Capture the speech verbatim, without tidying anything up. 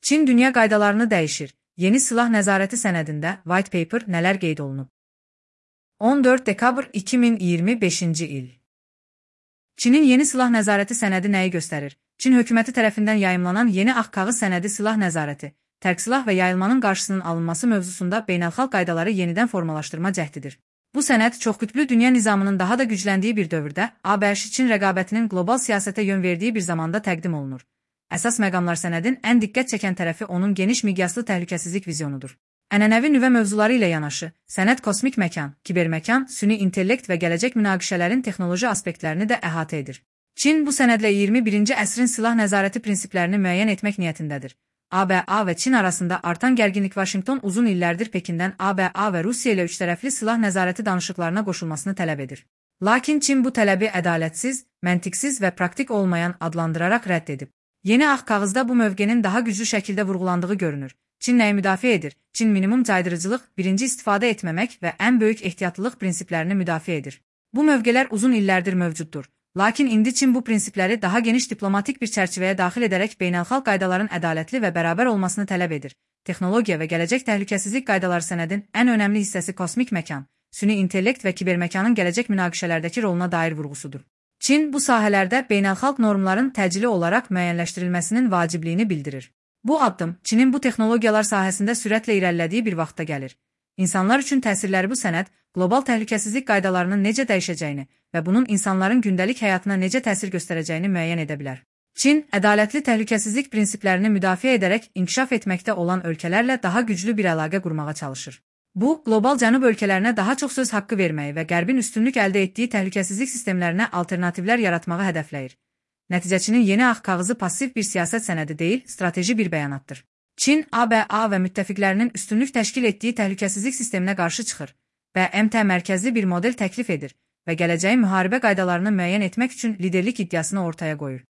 Çin dünya qaydalarını dəyişir. Yeni silah nəzarəti sənədində White Paper nələr qeyd olunub? on dörd dekabr iki min iyirmi beşinci il. Çinin yeni silah nəzarəti sənədi nəyi göstərir? Çin hökuməti tərəfindən yayımlanan yeni ağ kağız sənədi silah nəzarəti, tərk silah və yayılmanın qarşısının alınması mövzusunda beynəlxalq qaydaları yenidən formalaşdırma cəhdidir. Bu sənəd çoxqütblü dünya nizamının daha da gücləndiyi bir dövrdə A B Ş-Çin rəqabətinin qlobal siyasətə yön verdiyi bir zamanda təqdim olunur. Əsas məqamlar sənədin ən diqqət çəkən tərəfi onun geniş miqyaslı təhlükəsizlik vizyonudur. Ənənəvi nüvə mövzuları ilə yanaşı, sənəd kosmik məkan, kiberməkan, süni intellekt və gələcək münaqişələrin texnoloji aspektlərini də əhatə edir. Çin bu sənədlə iyirmi birinci əsrin silah nəzarəti prinsiplərini müəyyən etmək niyyətindədir. A B A və Çin arasında artan gərginlik Vaşinqton uzun illərdir Pekindən A B A və Rusiya ilə üçtərəfli silah nəzarəti danışıqlarına qoşulmasını tələb edir. Lakin Çin bu tələbi ədalətsiz, məntiqsiz və praktik olmayan adlandıraraq rədd edib. Yeni ağ kağızda bu mövqenin daha güclü şəkildə vurğulandığı görünür. Çin nəyi müdafiə edir? Çin minimum caydırıcılıq, birinci istifadə etməmək və ən böyük ehtiyatlılıq prinsiplərini müdafiə edir. Bu mövqelər uzun illərdir mövcuddur. Lakin indi Çin bu prinsipləri daha geniş diplomatik bir çərçivəyə daxil edərək beynəlxalq qaydaların ədalətli və bərabər olmasını tələb edir. Texnologiya və gələcək təhlükəsizlik qaydaları sənədin ən önəmli hissəsi kosmik məkan, süni intellekt və kiberməkanın gələcək münaqişələrdəki roluna dair vurğusudur. Çin bu sahələrdə beynəlxalq normların təcili olaraq müəyyənləşdirilməsinin vacibliyini bildirir. Bu addım Çinin bu texnologiyalar sahəsində sürətlə irəlilədiyi bir vaxtda gəlir. İnsanlar üçün təsirləri bu sənəd, qlobal təhlükəsizlik qaydalarının necə dəyişəcəyini və bunun insanların gündəlik həyatına necə təsir göstərəcəyini müəyyən edə bilər. Çin, ədalətli təhlükəsizlik prinsiplərini müdafiə edərək inkişaf etməkdə olan ölkələrlə daha güclü bir əlaqə qurmağa çalışır. Bu, qlobal cənub ölkələrinə daha çox söz haqqı verməyi və Qərbin üstünlük əldə etdiyi təhlükəsizlik sistemlərinə alternativlər yaratmağı hədəfləyir. Nəticəçinin yeni ağ kağızı passiv bir siyasət sənədi deyil, strateji bir bəyanatdır. Çin, A B A və müttəfiqlərinin üstünlük təşkil etdiyi təhlükəsizlik sisteminə qarşı çıxır və M T mərkəzli bir model təklif edir və gələcəyin müharibə qaydalarını müəyyən etmək üçün liderlik iddiasını ortaya qoyur.